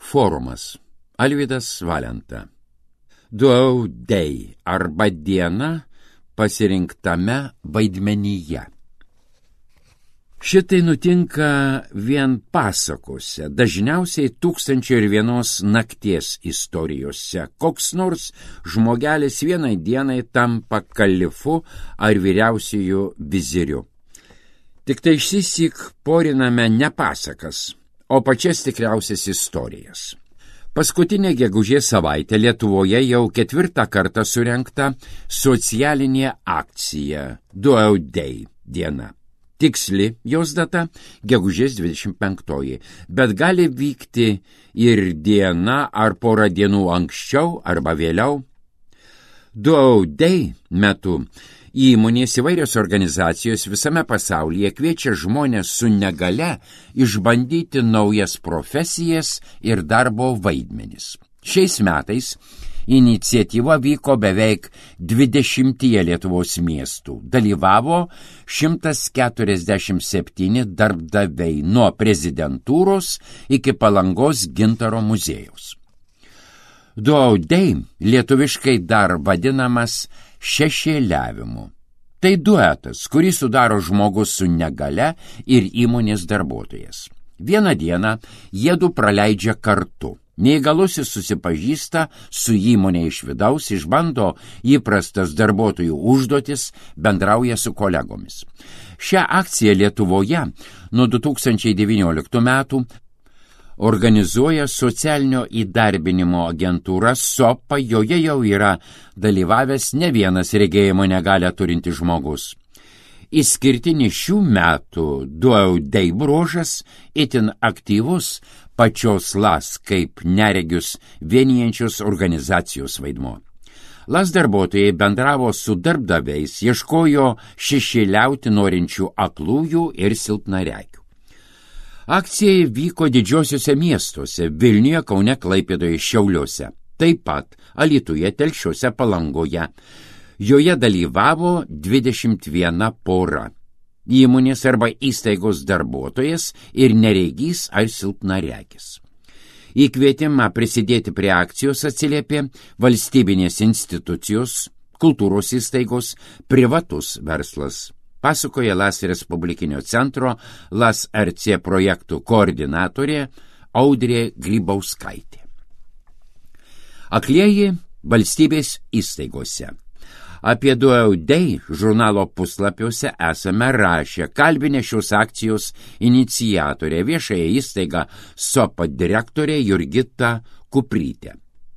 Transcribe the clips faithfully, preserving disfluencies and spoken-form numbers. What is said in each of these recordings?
Forumas. Alvydas Valenta. Duaudei arba diena pasirinktame vaidmenyje. Šitai nutinka vien pasakose, dažniausiai tūkstančio ir vienos nakties istorijose. Koks nors žmogelis vienai dienai tampa kalifu ar vyriausiųjų viziriu. Tik tai išsisik poriname ne pasakas, o pačias tikriausias istorijas. Paskutinė gegužės savaitė Lietuvoje jau ketvirtą kartą surengta socialinė akcija Duaudei diena. Tiksli jos data gegužės dvidešimt penktoji, bet gali vykti ir diena ar porą dienų anksčiau arba vėliau. Duaudei metu įmonės įvairios organizacijos visame pasaulyje kviečia žmonės su negalia išbandyti naujas profesijas ir darbo vaidmenis. Šiais metais iniciatyva vyko beveik dvidešimtyje Lietuvos miestų. Dalyvavo šimtas keturiasdešimt septyni darbdaviai nuo prezidentūros iki Palangos gintaro muziejaus. Duaudei lietuviškai dar vadinamas šešėliavimu. Tai duetas, kurį sudaro žmogus su negalia ir įmonės darbuotojas. Vieną dieną jiedu praleidžia kartu. Neįgalusis susipažįsta su įmonė iš vidaus, išbando įprastas darbuotojų užduotis, bendrauja su kolegomis. Šią akciją Lietuvoje nuo du tūkstančiai devynioliktų metų organizuoja socialinio įdarbinimo agentūra SOPA, joje jau yra dalyvavęs ne vienas regėjimo negalią turintis žmogus. Išskirtinis šių metų Duaudei bruožas itin aktyvus pačios LAS kaip neregius vienijančios organizacijos vaidmuo. LAS darbuotojai bendravo su darbdaviais, ieškojo šešėliauti norinčių aklųjų ir silpnaregių. Akcija vyko didžiosiuose miestuose – Vilniuje, Kaune, Klaipėdoje, Šiauliuose, taip pat Alytuje, Telšiuose, Palangoje. Joje dalyvavo dvidešimt viena pora – įmonės arba įstaigos darbuotojas ir neregys ar silpnaregis. Į kvietimą prisidėti prie akcijos atsiliepė valstybinės institucijos, kultūros įstaigos, privatus verslas. Pasakoja LAS Respublikinio centro LAS R C projektų koordinatorė Audrė Grybauskaitė. Aklieji valstybės įstaigose. Apie Duaudei žurnalo puslapiuose esame rašę, kalbinę šios akcijos iniciatorė, viešąją įstaigą SOPA direktorė Jurgita Kuprytė.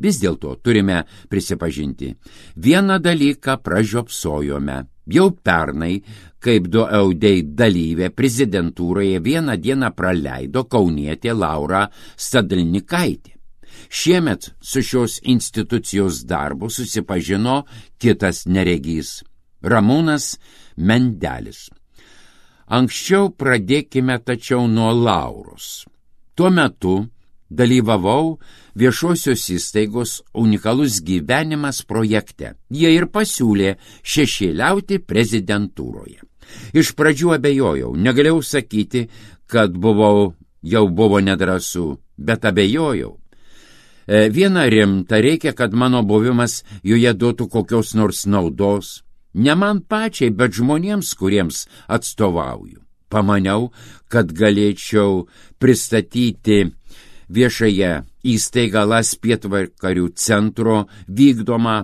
Vis dėlto turime prisipažinti, vieną dalyką pražiopsojome. Jau pernai, kaip Duaudei dalyvė prezidentūroje vieną dieną praleido kaunietė Laura Stadlnikaitė. Šiemet su šios institucijos darbu susipažino kitas neregys – Ramūnas Mendelis. Anksčiau pradėkime tačiau nuo Lauros. Tuo metu dalyvavau viešosios įstaigos unikalus gyvenimas projekte. Jie ir pasiūlė šešėliauti prezidentūroje. Iš pradžių abejojau, negalėjau sakyti, kad buvau, jau buvo nedrąsu, bet abejojau. E, viena rimta, reikia, kad mano buvimas joje duotų kokios nors naudos. Ne man pačiai, bet žmonėms, kuriems atstovauju. Pamaniau, kad galėčiau pristatyti viešąją įstaigą LAS Pietvakarių centro vykdomą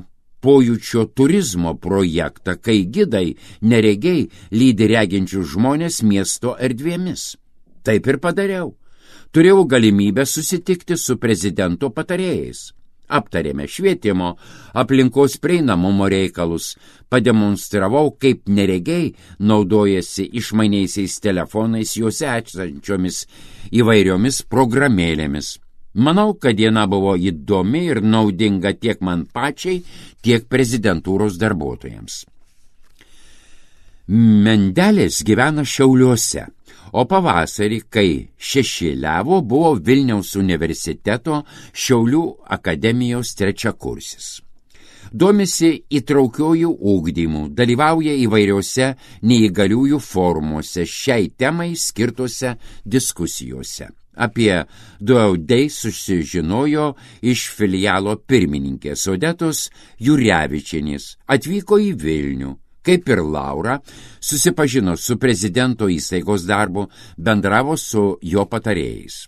pojūčio turizmo projektą, kai gidai neregiai lydi reginčius žmonės miesto erdvėmis. Taip ir padariau. Turėjau galimybę susitikti su prezidento patarėjais. Aptarėme švietimo, aplinkos prieinamumo reikalus, pademonstravau, kaip neregiai naudojasi išmaniaisiais telefonais, juose esančiomis įvairiomis programėlėmis. Manau, kad diena buvo įdomi ir naudinga tiek man pačiai, tiek prezidentūros darbuotojams. Mendelis gyvena Šiauliuose, o pavasarį, kai šešėliavo, buvo Vilniaus universiteto Šiaulių akademijos trečiakursis. Domisi įtraukiojų ugdymų, dalyvauja įvairiose neįgaliųjų forumuose, šiai temai skirtose diskusijose. Apie Duaudei susižinojo iš filialo pirmininkės Odetos Jurevičienės, atvyko į Vilnių. Kaip ir Laura, susipažino su prezidento įstaigos darbu, bendravo su jo patarėjais.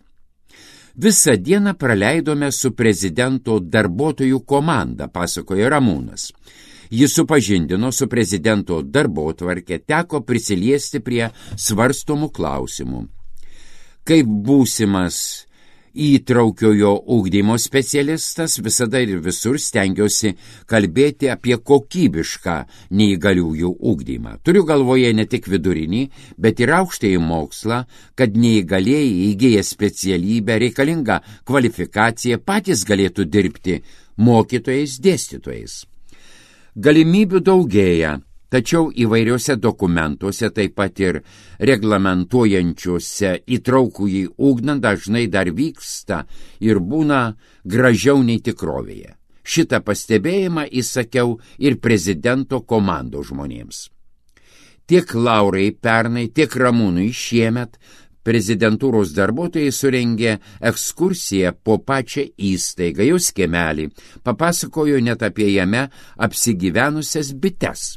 Visą dieną praleidome su prezidento darbuotojų komanda, pasakoja Ramūnas. Jis supažindino su prezidento darbotvarke, teko prisiliesti prie svarstomų klausimų. Kaip būsimas įtraukiojo ugdymo specialistas, visada ir visur stengiuosi kalbėti apie kokybišką neįgaliųjų ugdymą. Turiu galvoje ne tik vidurinį, bet ir aukštąjį mokslą, kad neįgalieji įgyję specialybę, reikalingą kvalifikaciją, patys galėtų dirbti mokytojais, dėstytojais. Galimybių daugėja, tačiau įvairiuose dokumentuose, taip pat ir reglamentuojančiuose įtraukųjį ugdymą dažnai dar vyksta ir būna gražiau nei tikrovėje. Šitą pastebėjimą įsakiau ir prezidento komandos žmonėms. Tiek Laurai pernai, tiek Ramūnui šiemet prezidentūros darbuotojai surengė ekskursiją po pačią įstaigą, jos kiemelį, papasakojo net apie jame apsigyvenusias bites.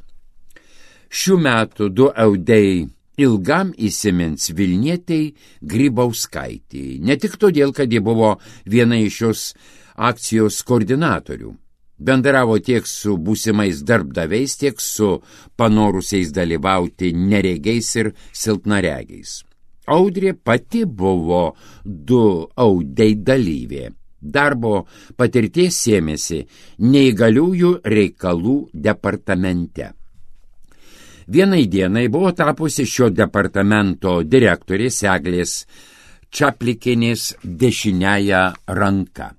Šių metų Duaudei ilgam įsimins Vilnietei Grybauskaitei, ne tik todėl, kad ji buvo viena iš šios akcijos koordinatorių. Bendravo tiek su būsimais darbdaviais, tiek su panorusiais dalyvauti neregiais ir silpnaregiais. Audrė pati buvo Duaudei dalyvė. Darbo patirties sėmėsi neįgaliųjų reikalų departamente. Vienai dienai buvo tapusi šio departamento direktorės Eglės Čaplikienės dešiniąja ranka.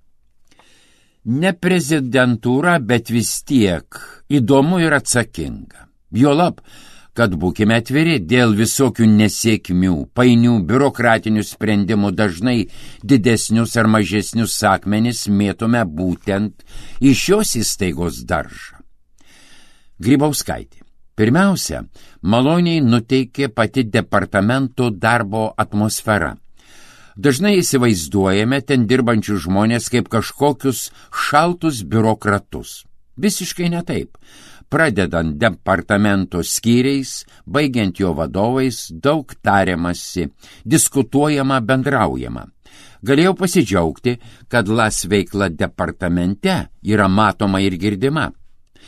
Ne prezidentūra, bet vis tiek įdomu ir atsakinga. Juolab, kad būkime atviri, dėl visokių nesėkmių, painių biurokratinių sprendimų dažnai didesnius ar mažesnius akmenis mėtome būtent iš šios įstaigos daržą. Grybauskaitė. Pirmiausia, maloniai nuteikė pati departamento darbo atmosfera. Dažnai įsivaizduojame ten dirbančių žmonės kaip kažkokius šaltus biurokratus. Visiškai ne taip. Pradedant departamento skyriais, baigiant jo vadovais, daug tariamasi, diskutuojama, bendraujama. Galėjau pasidžiaugti, kad Las veikla departamente yra matoma ir girdima.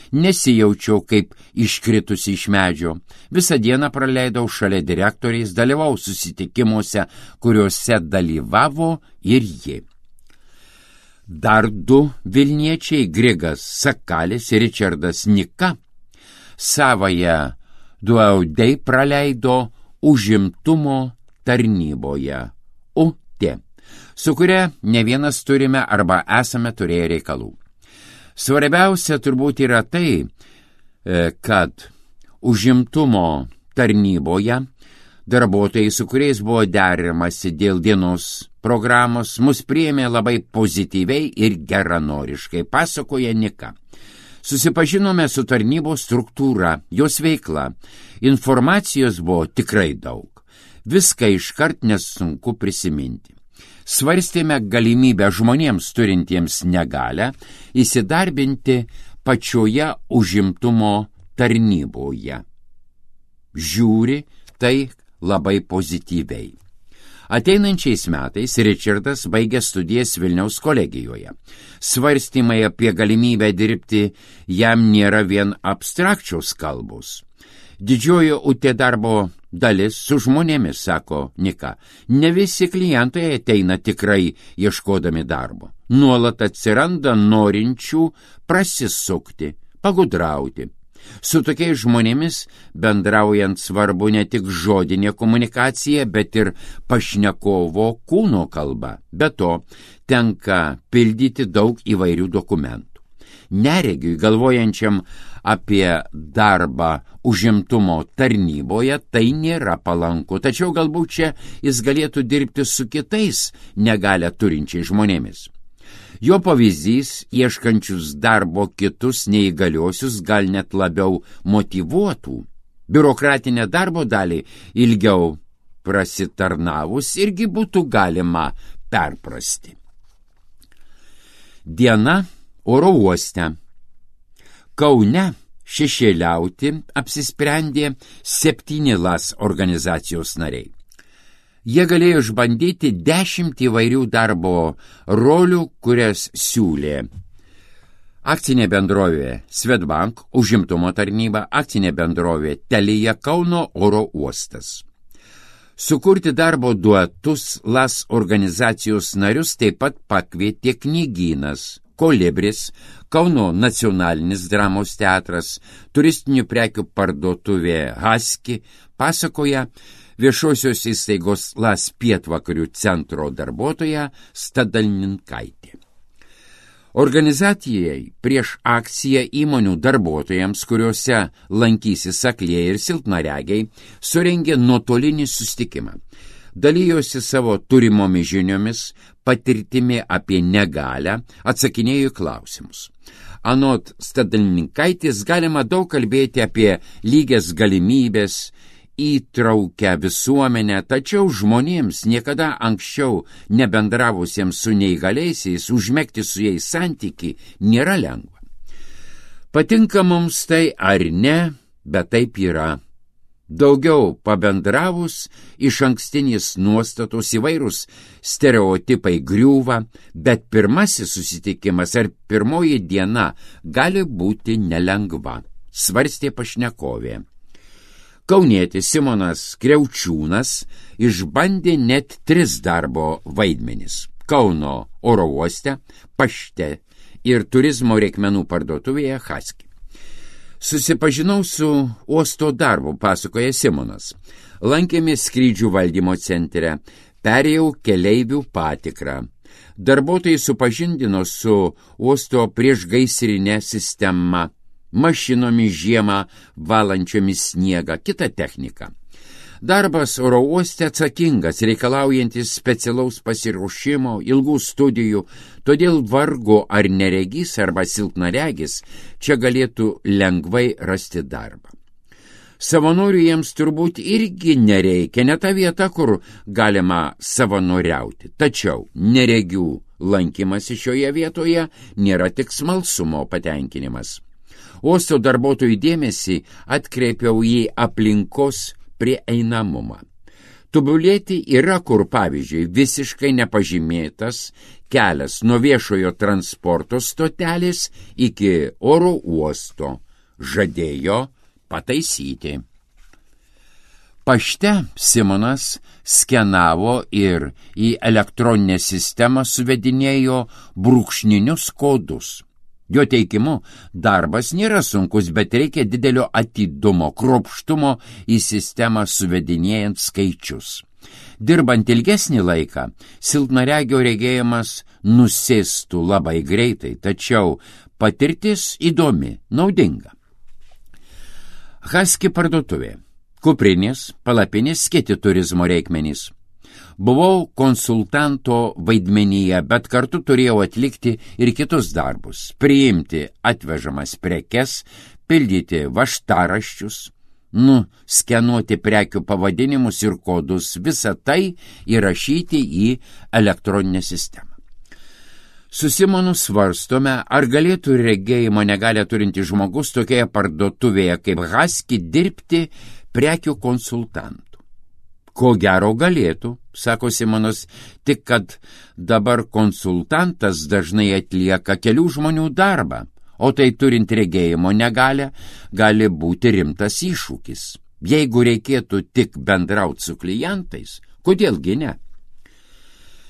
Nesijaučiau kaip iškritusi iš medžio. Visą dieną praleidau šalia direktoriais, dalyvau susitikimuose, kuriuose dalyvavo ir ji. Dar du Vilniečiai, Grigas Sakalis ir Ričardas Nika, savąją Duaudei praleido užimtumo tarnyboje U T, su kuria ne vienas turime arba esame turėję reikalų. Svarbiausia turbūt yra tai, kad užimtumo tarnyboje darbuotojai, su kuriais buvo deramasi dėl dienos programos, mus priėmė labai pozityviai ir geranoriškai, pasakoja Nika. Susipažinome su tarnybos struktūra, jos veikla. Informacijos buvo tikrai daug. Viską iškart nesunku prisiminti. Svarstėme galimybę žmonėms turintiems negalią įsidarbinti pačioje užimtumo tarnyboje. Žiūri tai labai pozityviai. Ateinančiais metais Ričardas baigė studijas Vilniaus kolegijoje. Svarstymai apie galimybę dirbti jam nėra vien abstrakčios kalbos. Didžioji U T darbo dalis su žmonėmis, sako Nika. Ne visi klientai ateina tikrai ieškodami darbo. Nuolat atsiranda norinčių prasisukti, pagudrauti. Su tokiais žmonėmis bendraujant svarbu ne tik žodinė komunikacija, bet ir pašnekovo kūno kalba. Be to, tenka pildyti daug įvairių dokumentų. Neregiui, galvojančiam apie darbą užimtumo tarnyboje, tai nėra palanku, tačiau galbūt čia jis galėtų dirbti su kitais negalią turinčiais žmonėmis. Jo pavyzdys, ieškančius darbo kitus neįgaliosius, gal net labiau motyvuotų. Biurokratinę darbo dalį ilgiau prasitarnavus irgi būtų galima perprasti. Diena oro uoste. Kaune šešėliauti apsisprendė septyni LAS organizacijos nariai. Jie galėjo išbandyti dešimt įvairių darbo rolių, kurias siūlė akcinė bendrovė Swedbank, užimtumo tarnyba, akcinė bendrovė Telia, Kauno oro uostas. Sukurti darbo duetus LAS organizacijos narius taip pat pakvietė knygynas, Kolibris, Kauno nacionalinis dramos teatras, turistinių prekių parduotuvė Husky, pasakoja viešosios įstaigos LAS pietvakarių centro darbuotoja Stadalninkaitė. Organizacijai prieš akciją įmonių darbuotojams, kuriuose lankysis aklieji ir silpnaregiai, surengė nuotolinį susitikimą. Dalijosi savo turimomis žiniomis, patirtimi apie negalią, atsakinėjo klausimus. Anot Stadalninkaitės galima daug kalbėti apie lygias galimybės, įtraukę visuomenę, tačiau žmonėms niekada anksčiau nebendravusiems su neįgaliaisiais užmegti su jais santykį nėra lengva. Patinka mums tai ar ne, bet taip yra. Daugiau pabendravus, iš ankstinės nuostatos įvairūs stereotipai griūva, bet pirmasis susitikimas ar pirmoji diena gali būti nelengva, svarstė pašnekovė. Kaunietis Simonas Kriaučiūnas išbandė net tris darbo vaidmenis – Kauno oro uoste, pašte ir turizmo reikmenų parduotuvėje Husky. Susipažinau su uosto darbu, pasakoja Simonas. Lankėmės skrydžių valdymo centre, perėjau keleivių patikrą. Darbuotojai supažindino su uosto priešgaisrinė sistema, mašinomis žiemą valančiomis sniegą, kita technika. Darbas oro uoste atsakingas, reikalaujantis specialaus pasiruošimo, ilgų studijų, todėl vargu ar neregys arba silpnaregis čia galėtų lengvai rasti darbą. Savanorių jiems turbūt irgi nereikia, ne ta vieta, kur galima savanoriauti. Tačiau neregių lankymas šioje vietoje nėra tik smalsumo patenkinimas. Uosto darbuotojų dėmesį atkreipiau į aplinkos prieinamumą. Tobulėti yra kur, pavyzdžiui, visiškai nepažymėtas kelias nuo viešojo transporto stotelės iki oro uosto. Žadėjo pataisyti. Pašte Simonas skenavo ir į elektroninę sistemą suvedinėjo brūkšninius kodus. Jo teikimu, darbas nėra sunkus, bet reikia didelio atidumo, kruopštumo į sistemą suvedinėjant skaičius. Dirbant ilgesnį laiką, silpnaregio regėjimas nusėstų labai greitai, tačiau patirtis įdomi, naudinga. Husky parduotuvė, kuprinės, palapinės, kiti turizmo reikmenys. Buvau konsultanto vaidmenyje, bet kartu turėjau atlikti ir kitus darbus – priimti atvežamas prekes, pildyti vaštaraščius, nuskenuoti prekių pavadinimus ir kodus, visą tai įrašyti į elektroninę sistemą. Su Simonu svarstome, ar galėtų regėjimo negalią turinti žmogus tokioje parduotuvėje kaip Husky dirbti prekių konsultantų. Ko gero galėtų, sako Simonas, tik kad dabar konsultantas dažnai atlieka kelių žmonių darbą, o tai turint regėjimo negalią gali būti rimtas iššūkis. Jeigu reikėtų tik bendrauti su klientais, kodėlgi ne?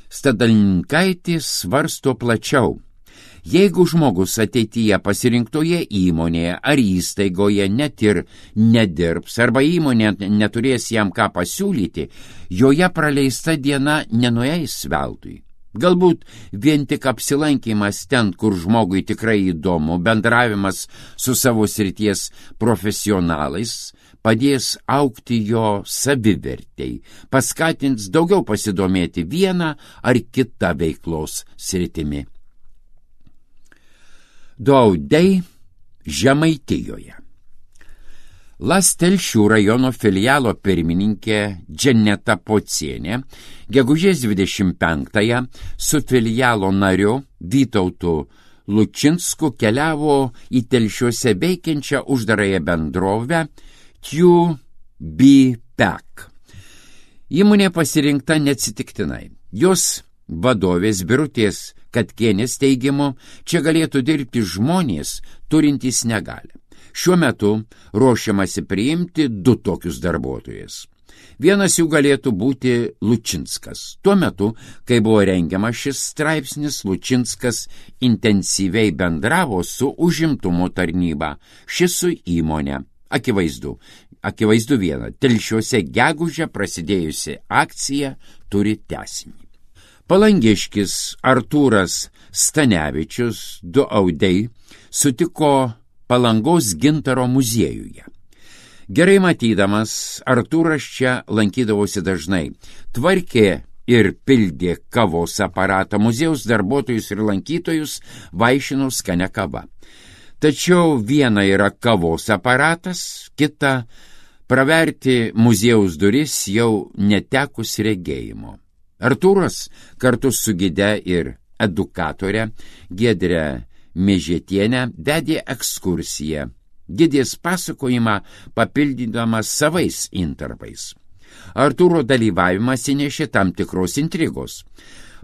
Stadalninkaitės svarsto plačiau. Jeigu žmogus ateityje pasirinktoje įmonėje ar įstaigoje net ir nedirbs arba įmonė neturės jam ką pasiūlyti, joje praleista diena nenueis veltui. Galbūt vien tik apsilankymas ten, kur žmogui tikrai įdomu, bendravimas su savo srities profesionalais padės augti jo savivertei, paskatins daugiau pasidomėti vieną ar kitą veiklos sritimi. Daudai Žemaitijoje. Las Telšių rajono filialo pirmininkė Dženeta Pocienė gegužės dvidešimt penktąją su filialo nariu Vytautu Lučinsku keliavo į Telšiuose veikiančią uždarąją bendrovę Q B P E C. Įmonė pasirinkta neatsitiktinai. Jos vadovės Birutės Katkienės teigimu, čia galėtų dirbti žmonės turintys negalią. Šiuo metu ruošiamasi priimti du tokius darbuotojus. Vienas jų galėtų būti Lučinskas. Tuo metu, kai buvo rengiamas šis straipsnis, Lučinskas intensyviai bendravo su užimtumo tarnyba, šis su įmonė. Akivaizdu, akivaizdu viena, Telšiuose gegužę prasidėjusi akcija turi tęsinį. Palangiškis Artūras Stanevičius, du audei, sutiko Palangos gintaro muziejuje. Gerai matydamas, Artūras čia lankydavosi dažnai, tvarkė ir pildė kavos aparatą, muziejaus darbuotojus ir lankytojus vaišino skania kava. Tačiau viena yra kavos aparatas, kita praverti muziejaus duris jau netekus regėjimo. Artūras kartu su gide ir edukatore Giedre Mėžetienė vedė ekskursiją, gidės pasakojimą papildydamas savais intarpais. Artūro dalyvavimas įnešė tam tikros intrigos.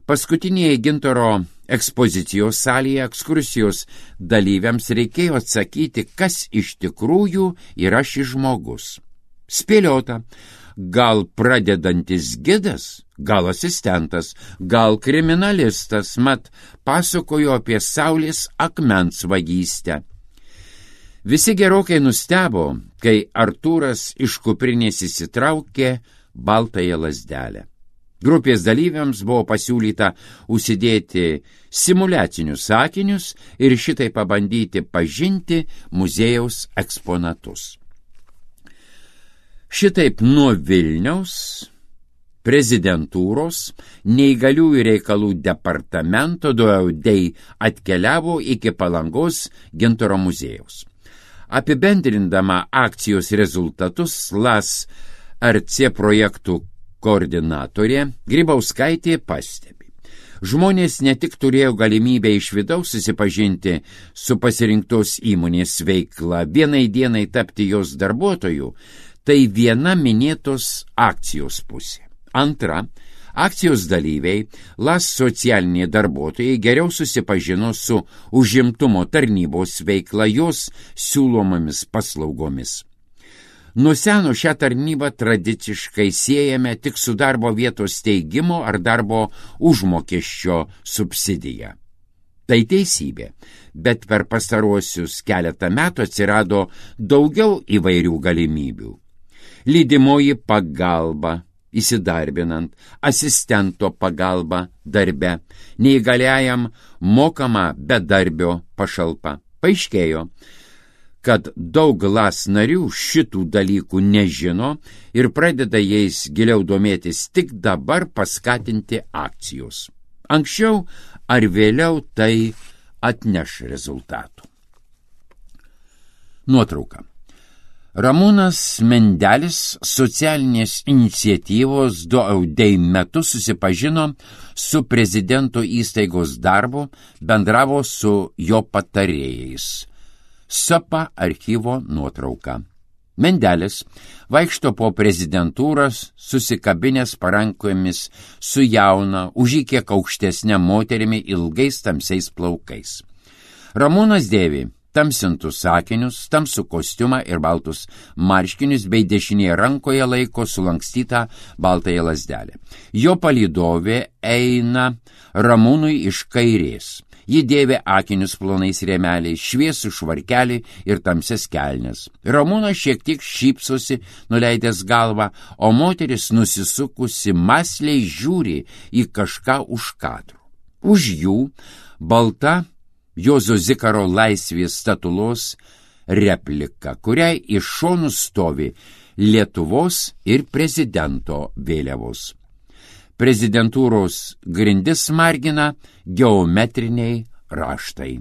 Paskutinėje gintaro ekspozicijos salėje ekskursijos dalyviams reikėjo atsakyti, kas iš tikrųjų yra šis žmogus. Spėliota, gal pradedantis gidas, gal asistentas, gal kriminalistas, mat pasakojo apie saulės akmens vagystę. Visi gerokai nustebo, kai Artūras iš kuprinės įsitraukė baltąją lazdelę. Grupės dalyviams buvo pasiūlyta užsidėti simuliacinius sakinius ir šitai pabandyti pažinti muziejaus eksponatus. Šitaip nuo Vilniaus prezidentūros neįgaliųjų reikalų departamento du audei atkeliavo iki Palangos gintaro muziejaus. Apibendrindama akcijos rezultatus, Las R C projektų koordinatorė Grybauskaitė pastebi. Žmonės ne tik turėjo galimybę iš vidaus susipažinti su pasirinktos įmonės veikla, vienai dienai tapti jos darbuotojų, tai viena minėtos akcijos pusė. Antra, akcijos dalyviai, Las socialiniai darbuotojai geriau susipažino su užimtumo tarnybos veikla, jos siūlomomis paslaugomis. Nuo seno šią tarnybą tradiciškai siejame tik su darbo vietos steigimo ar darbo užmokesčio subsidija. Tai teisybė, bet per pastaruosius keletą metų atsirado daugiau įvairių galimybių. Lydimoji pagalba, įsidarbinant, asistento pagalba darbe, neįgaliajam mokama bedarbio pašalpa. Paaiškėjo, kad daug Las narių šitų dalykų nežino ir pradeda jais giliau domėtis tik dabar paskatinti akcijos. Anksčiau ar vėliau tai atneš rezultatų. Nuotrauka. Ramūnas Mendelis socialinės iniciatyvos du audei metu susipažino su prezidento įstaigos darbu, bendravo su jo patarėjais. Sapa archyvo nuotrauka. Mendelis vaikšto po prezidentūras susikabinęs parankomis su jauna, už jį kiek aukštesnė moterimi ilgais tamsiais plaukais. Ramūnas dėvi tamsintus sakinius, tamsų kostiumą ir baltus marškinius, bei dešinėje rankoje laiko sulankstytą baltąją lazdelę. Jo palydovė eina Ramūnui iš kairės. Ji dėvi akinius plonais rėmeliais, šviesų švarkelį ir tamsias kelnes. Ramūnas šiek tiek šypsosi, nuleidęs galvą, o moteris nusisukusi mąsliai žiūri į kažką už kadrų. Už jų balta Juozo Zikaro laisvės statulos replika, kuriai iš šonų stovi Lietuvos ir prezidento vėliavos. Prezidentūros grindis margina geometriniai raštai.